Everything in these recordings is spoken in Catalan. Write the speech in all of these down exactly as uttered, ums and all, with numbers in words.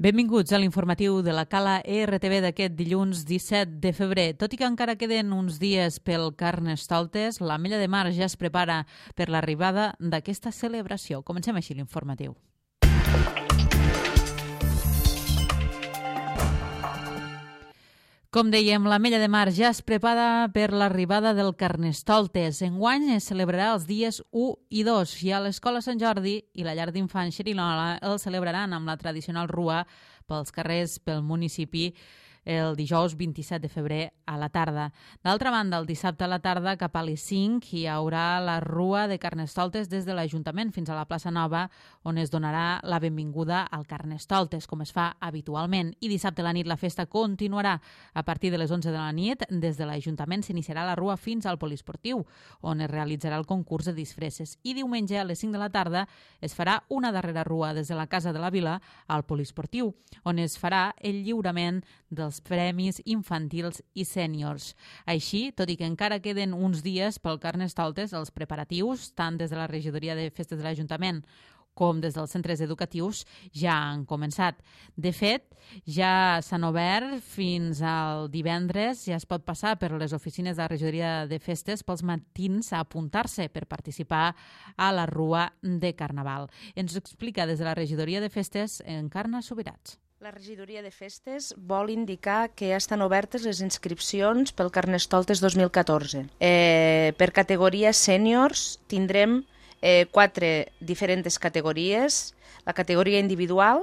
Benvinguts a l'informatiu de la Cala E R T V d'aquest dilluns disset de febrer. Tot i que encara queden uns dies pel Carnestoltes, l'Ametlla de Mar ja es prepara per l'arribada d'aquesta celebració. Comencem així l'informatiu. Com dèiem, l'Ametlla de Mar ja es prepara per l'arribada del Carnestoltes. Enguany es celebrarà els dies u i dos i a l'Escola Sant Jordi i la llar d'infants Xerinola el celebraran amb la tradicional rua pels carrers pel municipi el dijous vint-i-set de febrer a la tarda. D'altra banda, el dissabte a la tarda, cap a les cinc, hi haurà la rua de Carnestoltes des de l'Ajuntament fins a la plaça Nova, on es donarà la benvinguda al Carnestoltes, com es fa habitualment. I dissabte a la nit la festa continuarà. A partir de les onze de la nit, des de l'Ajuntament s'iniciarà la rua fins al poliesportiu, on es realitzarà el concurs de disfresses. I diumenge a les cinc de la tarda es farà una darrera rua des de la Casa de la Vila al poliesportiu, on es farà el lliurament dels premis infantils i sèniors. Així, tot i que encara queden uns dies pel Carnestoltes, els preparatius, tant des de la regidoria de festes de l'Ajuntament com des dels centres educatius, ja han començat. De fet, ja s'han obert fins al divendres, ja es pot passar per les oficines de la regidoria de festes pels matins a apuntar-se per participar a la rua de Carnaval. Ens ho explica des de la regidoria de festes Encarna Subirats. La regidoria de festes vol indicar que ja estan obertes les inscripcions pel Carnestoltes dos mil catorze. Eh, per categoria sèniors tindrem eh, quatre diferents categories. La categoria individual,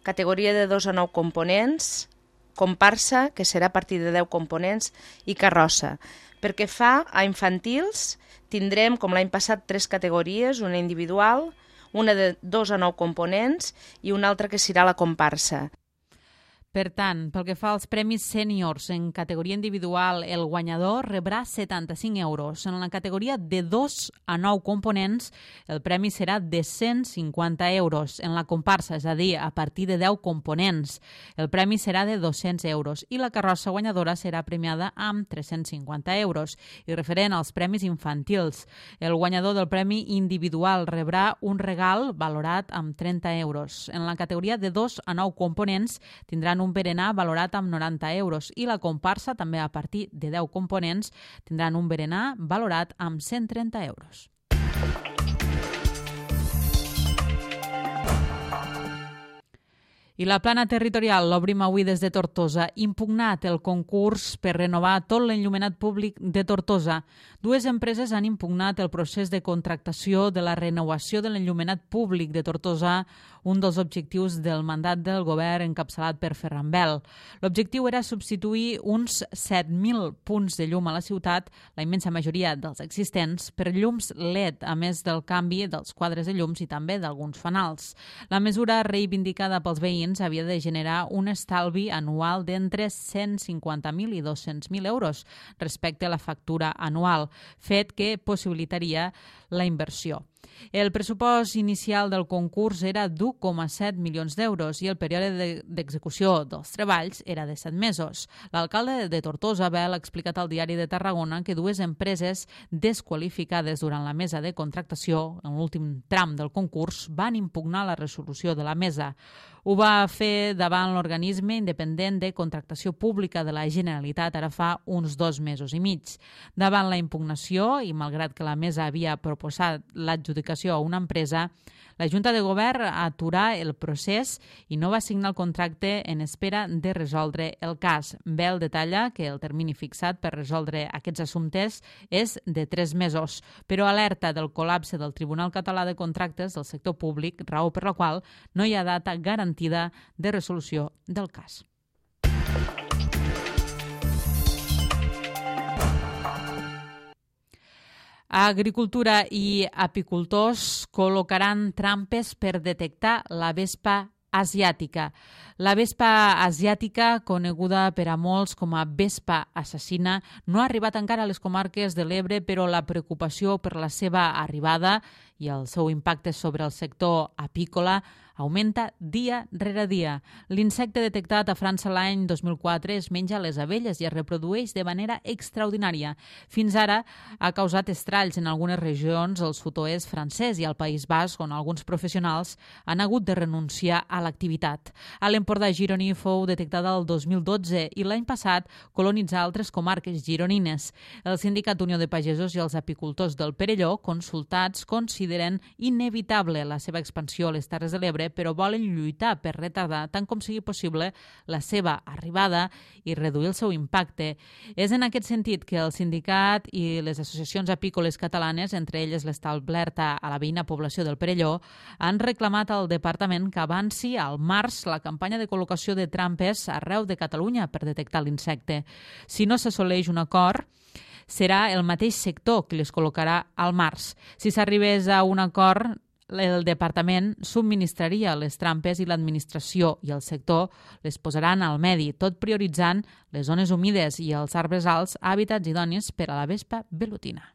categoria de dos a nou components, comparsa, que serà a partir de deu components, i carrossa. Per què fa a infantils, tindrem, com l'any passat, tres categories, una individual, una de dos a nou components i una altra que serà la comparsa. Per tant, pel que fa als premis sèniors en categoria individual, el guanyador rebrà setanta-cinc euros. En la categoria de dos a nou components, el premi serà de cent cinquanta euros. En la comparsa, és a dir, a partir de deu components, el premi serà de dos-cents euros i la carrossa guanyadora serà premiada amb tres-cents cinquanta euros. I referent als premis infantils, el guanyador del premi individual rebrà un regal valorat amb trenta euros. En la categoria de dos a nou components tindran un berenar valorat amb noranta euros i la comparsa, també a partir de deu components, tindran un berenar valorat amb cent trenta euros. I la plana territorial l'obrim avui des de Tortosa. Impugnat el concurs per renovar tot l'enllumenat públic de Tortosa. Dues empreses han impugnat el procés de contractació de la renovació de l'enllumenat públic de Tortosa, un dels objectius del mandat del govern encapçalat per Ferran Bel. L'objectiu era substituir uns set mil punts de llum a la ciutat, la immensa majoria dels existents, per llums L E D, a més del canvi dels quadres de llums i també d'alguns fanals. La mesura reivindicada pels veïns havia de generar un estalvi anual d'entre cent cinquanta mil i dos-cents mil euros respecte a la factura anual, fet que possibilitaria la inversió. El pressupost inicial del concurs era d'u coma set milions d'euros i el període d'execució dels treballs era de set mesos. L'alcalde de Tortosa, Bel, ha explicat al Diari de Tarragona que dues empreses desqualificades durant la mesa de contractació, en l'últim tram del concurs, van impugnar la resolució de la mesa. Ho va fer davant l'organisme independent de contractació pública de la Generalitat ara fa uns dos mesos i mig. Davant la impugnació, i malgrat que la mesa havia proposat l'adjudicació a una empresa, la Junta de Govern aturà el procés i no va signar el contracte en espera de resoldre el cas. Bel detalla que el termini fixat per resoldre aquests assumptes és de tres mesos, però alerta del col·lapse del Tribunal Català de Contractes del sector públic, raó per la qual no hi ha data garantida de resolució del cas. Agricultura i apicultors col·locaran trampes per detectar la vespa asiàtica. La vespa asiàtica, coneguda per a molts com a vespa assassina, no ha arribat encara a les comarques de l'Ebre, però la preocupació per la seva arribada i el seu impacte sobre el sector apícola augmenta dia rere dia. L'insecte detectat a França l'any dos mil quatre es menja les abelles i es reprodueix de manera extraordinària. Fins ara ha causat estralls en algunes regions al sud-oest francès i al País Basc, on alguns professionals han hagut de renunciar a l'activitat. A l'Empordà gironí fou detectada el dos mil dotze i l'any passat colonitzà altres comarques gironines. El Sindicat Unió de Pagesos i els apicultors del Perelló, consultats, consideren inevitable la seva expansió a les Terres de l'Ebre, però volen lluitar per retardar tant com sigui possible la seva arribada i reduir el seu impacte. És en aquest sentit que el sindicat i les associacions apícoles catalanes, entre elles l'establerta a la veïna població del Perelló, han reclamat al departament que avanci al març la campanya de col·locació de trampes arreu de Catalunya per detectar l'insecte. Si no s'assoleix un acord, serà el mateix sector que les col·locarà al març. Si s'arribés a un acord, el departament subministraria les trampes i l'administració i el sector les posaran al medi, tot prioritzant les zones humides i els arbres alts, hàbitats idonis per a la vespa velutina.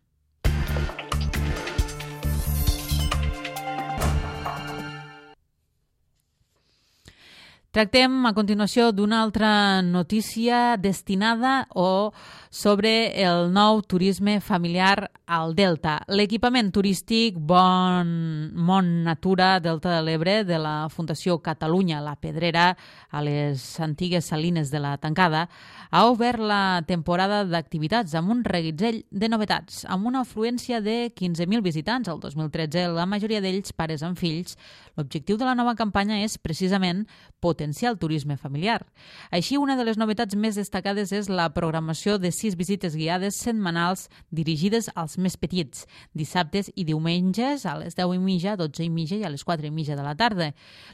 Tractem a continuació d'una altra notícia destinada o sobre el nou turisme familiar al Delta. L'equipament turístic Bon Mont Natura Delta de l'Ebre de la Fundació Catalunya La Pedrera a les antigues salines de la Tancada ha obert la temporada d'activitats amb un reguitzell de novetats. Amb una afluència de quinze mil visitants el dos mil tretze, la majoria d'ells pares amb fills, l'objectiu de la nova campanya és precisament potenciar el turisme familiar. Així, una de les novetats més destacades és la programació de sis visites guiades setmanals dirigides als més petits, dissabtes i diumenges a les deu i mitja, dotze i mitja i a les quatre i mitja de la tarda.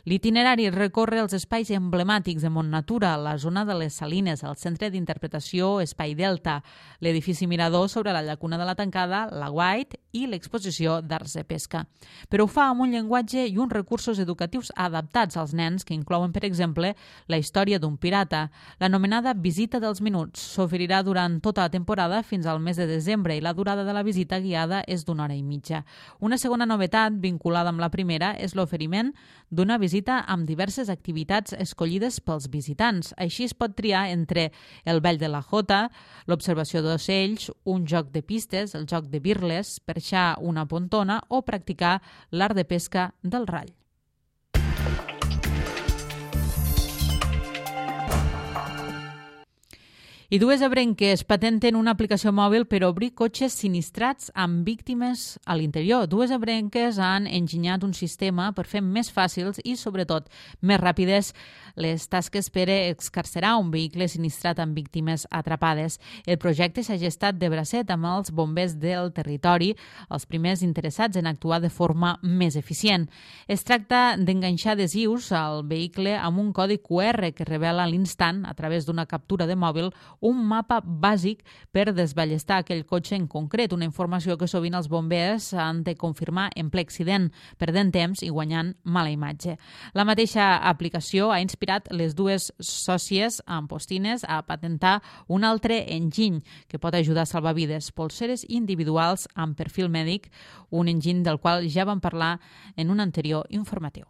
L'itinerari recorre els espais emblemàtics de Mont Natura, la zona de les Salines, el Centre d'Interpretació Espai Delta, l'edifici Mirador sobre la llacuna de la Tancada, la White i l'exposició d'arts de pesca. Però ho fa amb un llenguatge i uns recursos educatius adaptats als nens que inclouen, per exemple, la història d'un pirata. L'anomenada Visita dels Minuts s'oferirà durant tota la temporada fins al mes de desembre i la durada de la visita guiada és d'una hora i mitja. Una segona novetat vinculada amb la primera és l'oferiment d'una visita amb diverses activitats escollides pels visitants. Així es pot triar entre el ball de la jota, l'observació d'ocells, un joc de pistes, el joc de birles, perxar una pontona o practicar l'art de pesca del rall. I dues ebrenques patenten una aplicació mòbil per obrir cotxes sinistrats amb víctimes a l'interior. Dues ebrenques han enginyat un sistema per fer més fàcils i, sobretot, més ràpides les tasques per excarcerar un vehicle sinistrat amb víctimes atrapades. El projecte s'ha gestat de bracet amb els bombers del territori, els primers interessats en actuar de forma més eficient. Es tracta d'enganxar adhesius al vehicle amb un codi Q R que revela a l'instant, a través d'una captura de mòbil, un mapa bàsic per desballestar aquell cotxe en concret, una informació que sovint els bombers han de confirmar en ple accident, perdent temps i guanyant mala imatge. La mateixa aplicació ha inspirat les dues sòcies amb Postines a patentar un altre enginy que pot ajudar a salvar vides, polseres individuals amb perfil mèdic, un enginy del qual ja vam parlar en un anterior informatiu.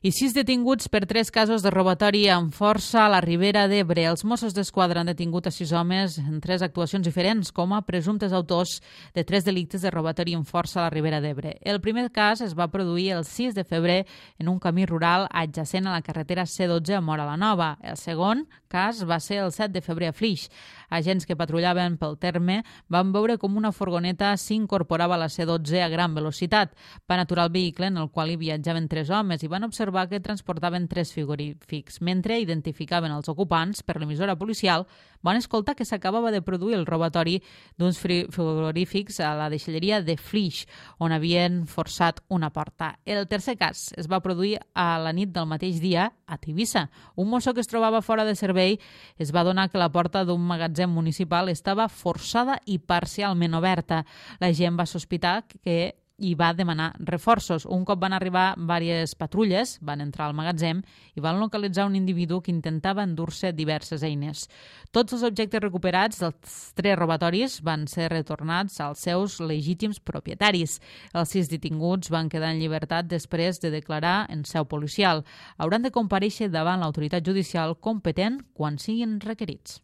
I sis detinguts per tres casos de robatori amb força a la Ribera d'Ebre. Els Mossos d'Esquadra han detingut a sis homes en tres actuacions diferents com a presumptes autors de tres delictes de robatori amb força a la Ribera d'Ebre. El primer cas es va produir el sis de febrer en un camí rural adjacent a la carretera C dotze a Móra la Nova. El segon cas va ser el set de febrer a Flix. Agents que patrullaven pel terme van veure com una furgoneta s'incorporava a la C dotze a gran velocitat. Van aturar el vehicle en el qual hi viatjaven tres homes i van observar que transportaven tres frigorífics. Mentre identificaven els ocupants per l'emissora policial, van escoltar que s'acabava de produir el robatori d'uns frigorífics a la deixalleria de Flix, on havien forçat una porta. El tercer cas es va produir a la nit del mateix dia a Tivissa. Un mosso que es trobava fora de servei es va adonar que la porta d'un magatzem municipal estava forçada i parcialment oberta. La gent va sospitar que i va demanar reforços. Un cop van arribar diverses patrulles, van entrar al magatzem i van localitzar un individu que intentava endur-se diverses eines. Tots els objectes recuperats dels tres robatoris van ser retornats als seus legítims propietaris. Els sis detinguts van quedar en llibertat després de declarar en seu policial. Hauran de comparèixer davant l'autoritat judicial competent quan siguin requerits.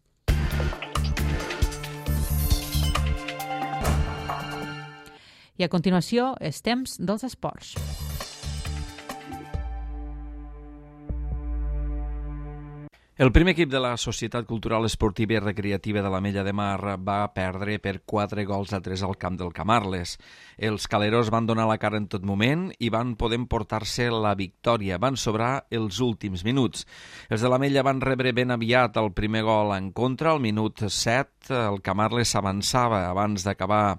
I a continuació, és temps dels esports. El primer equip de la Societat Cultural Esportiva i Recreativa de l'Ametlla de Mar va perdre per quatre gols a tres al camp del Camarles. Els caleros van donar la cara en tot moment i van poder emportar-se la victòria. Van sobrar els últims minuts. Els de l'Ametlla van rebre ben aviat el primer gol en contra. Al minut set, el Camarles s'avançava abans d'acabar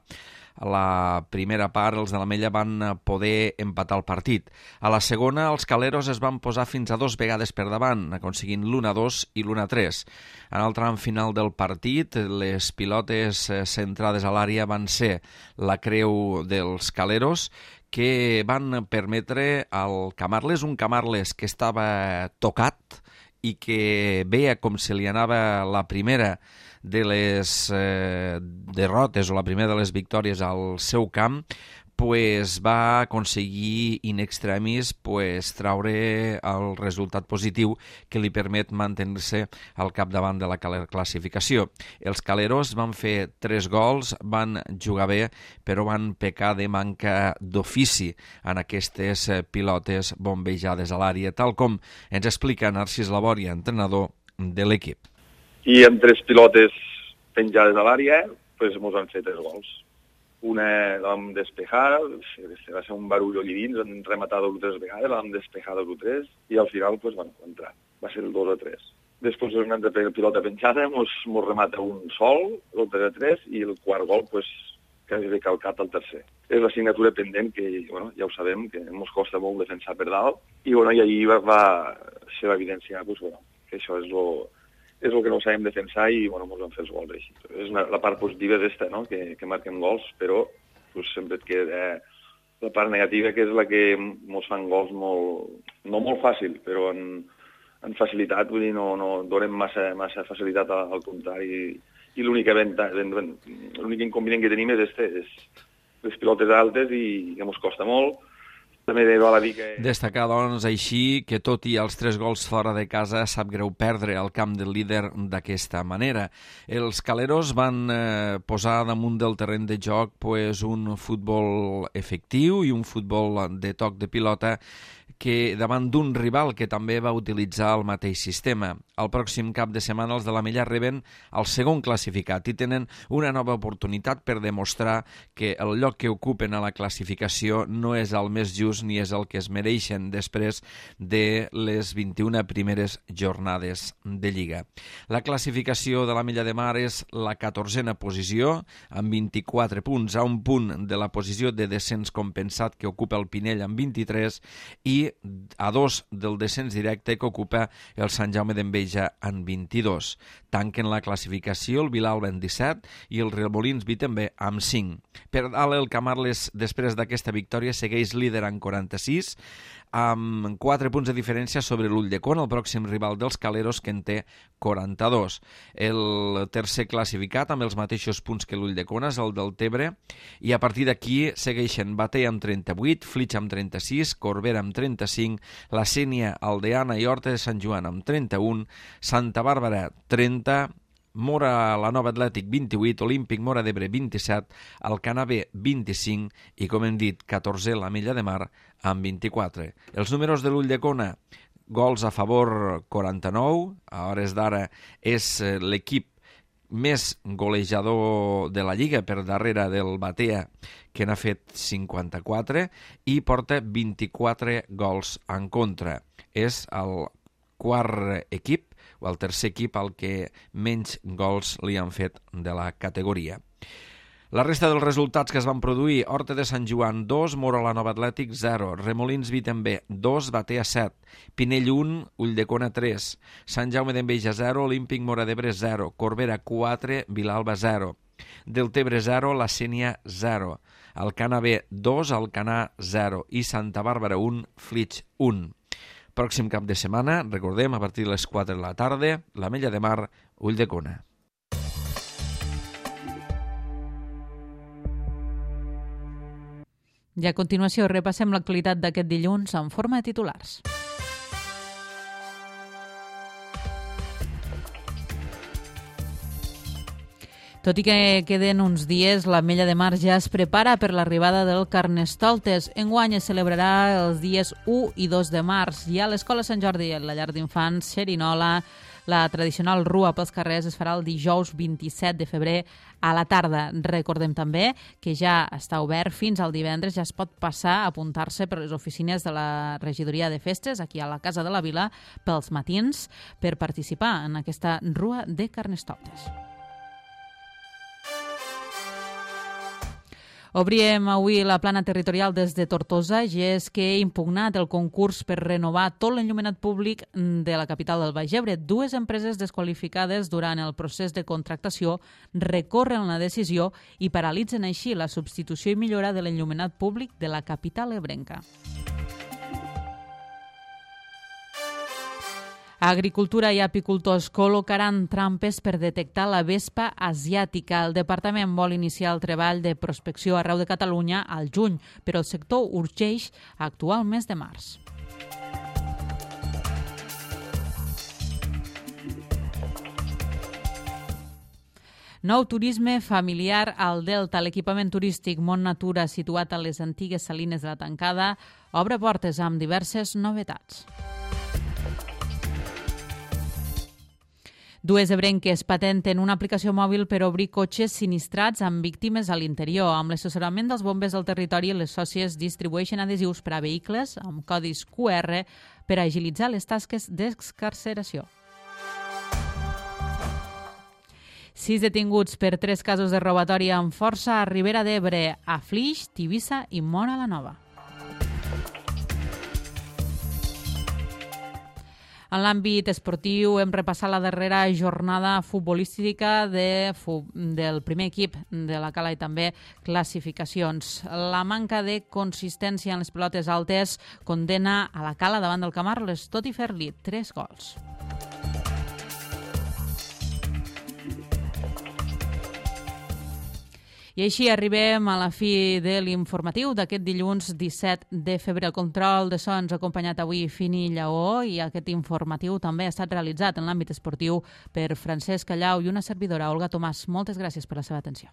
a la primera part. Els de l'Ametlla van poder empatar el partit. A la segona, els caleros es van posar fins a dos vegades per davant, aconseguint l'u a dos i l'u a tres. En el tram final del partit, les pilotes centrades a l'àrea van ser la creu dels caleros, que van permetre al Camarles, un Camarles que estava tocat i que veia com se li anava la primera de les eh, derrotes o la primera de les victòries al seu camp, pues va aconseguir in extremis pues, traure el resultat positiu que li permet mantenir-se al capdavant de la classificació. Els caleros van fer tres gols, van jugar bé, però van pecar de manca d'ofici en aquestes pilotes bombejades a l'àrea, tal com ens explica Narcís Labòria, entrenador de l'equip. I amb tres pilotes penjades a l'àrea, pues, mos han fet tres gols. Una la vam despejar, va ser un barullo allí dins, vam rematar dos o tres vegades, la vam despejar dos o tres, i al final pues, van entrar. Va ser el dos a tres. Després una altra pilota penjada, mos, mos remata un sol, el tres a tres, i el quart gol, pues, quasi recalcat al tercer. És l'assignatura pendent que, bueno, ja ho sabem, que mos costa molt defensar per dalt, i, bueno, i allí va, va ser evidenciar pues, bueno, que això és lo... és el que no sabem defensar i bueno, ens van fer els gols així. És una, la part positiva d'esta, no? que, que marquem gols, però pues, sempre et queda eh, la part negativa, que és la que ens fan gols molt, no molt fàcil, però en, en facilitat, vull dir, no, no donem massa, massa facilitat al, al contrari. I, i l'únic inconvenient que tenim és, este, és les pilotes altes i que ens costa molt. També val a dir que... Destacar, doncs, així que tot i els tres gols fora de casa sap greu perdre al camp del líder d'aquesta manera. Els caleros van eh, posar damunt del terreny de joc pues, un futbol efectiu i un futbol de toc de pilota que davant d'un rival que també va utilitzar el mateix sistema. El pròxim cap de setmana els de l'Ametlla reben el segon classificat i tenen una nova oportunitat per demostrar que el lloc que ocupen a la classificació no és el més just ni és el que es mereixen després de les vint-i-una primeres jornades de Lliga. La classificació de l'Ametlla de Mar és la catorzena posició, amb vint-i-quatre punts, a un punt de la posició de descens compensat que ocupa el Pinell amb vint-i-tres i a dos del descens directe que ocupa el Sant Jaume d'Enveja en vint-i-dos. Tanquen la classificació el Vilalba en disset i el Rielmolins Vi també amb cinc. Per dalt el Camarles, després d'aquesta victòria, segueix líder en quaranta-sis, amb quatre punts de diferència sobre l'Ulldecona, el pròxim rival dels caleros, que en té quaranta-dos. El tercer classificat, amb els mateixos punts que l'Ulldecona, és el del Tebre, i a partir d'aquí segueixen Batea amb trenta-vuit, Flix amb trenta-sis, Corbera amb trenta-cinc, La Sénia, Aldeana i Horta de Sant Joan amb trenta-un, Santa Bàrbara trenta, Mora la Nova Atlètic vint-i-vuit, Olímpic Mora d'Ebre vint-i-set, Alcanave vint-i-cinc i, com hem dit, catorzè l'Ametlla de Mar amb vint-i-quatre. Els números de l'Ulldecona, gols a favor quaranta-nou, a hores d'ara és l'equip més golejador de la Lliga per darrere del Batea, que n'ha fet cinquanta-quatre i porta vint-i-quatre gols en contra. És el quart equip o el tercer equip al que menys gols li han fet de la categoria. La resta dels resultats que es van produir: Horta de Sant Joan dos, Mora la Nova Atlètic zero, Remolins Vitember dos, Batea set, Pinell un, Ulldecona tres, Sant Jaume d'Enveja zero, Olímpic Móra d'Ebre zero, Corbera quatre, Vilalba zero, Deltebre zero, La Sénia zero, Alcanar B dos, Alcanar zero i Santa Bàrbara un, Flix un. Pròxim cap de setmana, recordem, a partir de les quatre de la tarda, l'Ametlla de Mar, Ulldecona. I a continuació repassem l'actualitat d'aquest dilluns en forma de titulars. Tot i que queden uns dies, l'Ametlla de Mar ja es prepara per l'arribada del Carnestoltes. Enguany es celebrarà els dies u i dos de març. I a l'Escola Sant Jordi, a la llar d'infants Xerinola, la tradicional rua pels carrers es farà el dijous vint-i-set de febrer a la tarda. Recordem també que ja està obert fins al divendres, ja es pot passar a apuntar-se per les oficines de la regidoria de festes, aquí a la Casa de la Vila, pels matins, per participar en aquesta rua de Carnestoltes. Obríem avui la plana territorial des de Tortosa, i és que he impugnat el concurs per renovar tot l'enllumenat públic de la capital del Baix Ebre. Dues empreses desqualificades durant el procés de contractació recorren la decisió i paralitzen així la substitució i millora de l'enllumenat públic de la capital ebrenca. Agricultura i apicultors col·locaran trampes per detectar la vespa asiàtica. El departament vol iniciar el treball de prospecció arreu de Catalunya al juny, però el sector urgeix a actuar el mes de març. Nou turisme familiar al Delta. L'equipament turístic Mont Natura, situat a les antigues salines de la Tancada, obre portes amb diverses novetats. Dues ebrenques patenten una aplicació mòbil per obrir cotxes sinistrats amb víctimes a l'interior. Amb l'assessorament dels bombers del territori, les sòcies distribueixen adhesius per a vehicles amb codis Q R per agilitzar les tasques d'excarceració. Sis detinguts per tres casos de robatori amb força a Ribera d'Ebre, a Flix, Tivissa i Móra la Nova. En l'àmbit esportiu hem repassat la darrera jornada futbolística de, del primer equip de la Cala i també classificacions. La manca de consistència en les pilotes altes condena a la Cala davant del Camarles, tot i fer-li tres gols. I així arribem a la fi de l'informatiu d'aquest dilluns disset de febrer. El control de so ens ha acompanyat avui Fini Lleó i aquest informatiu també ha estat realitzat en l'àmbit esportiu per Francesc Callau i una servidora, Olga Tomàs. Moltes gràcies per la seva atenció.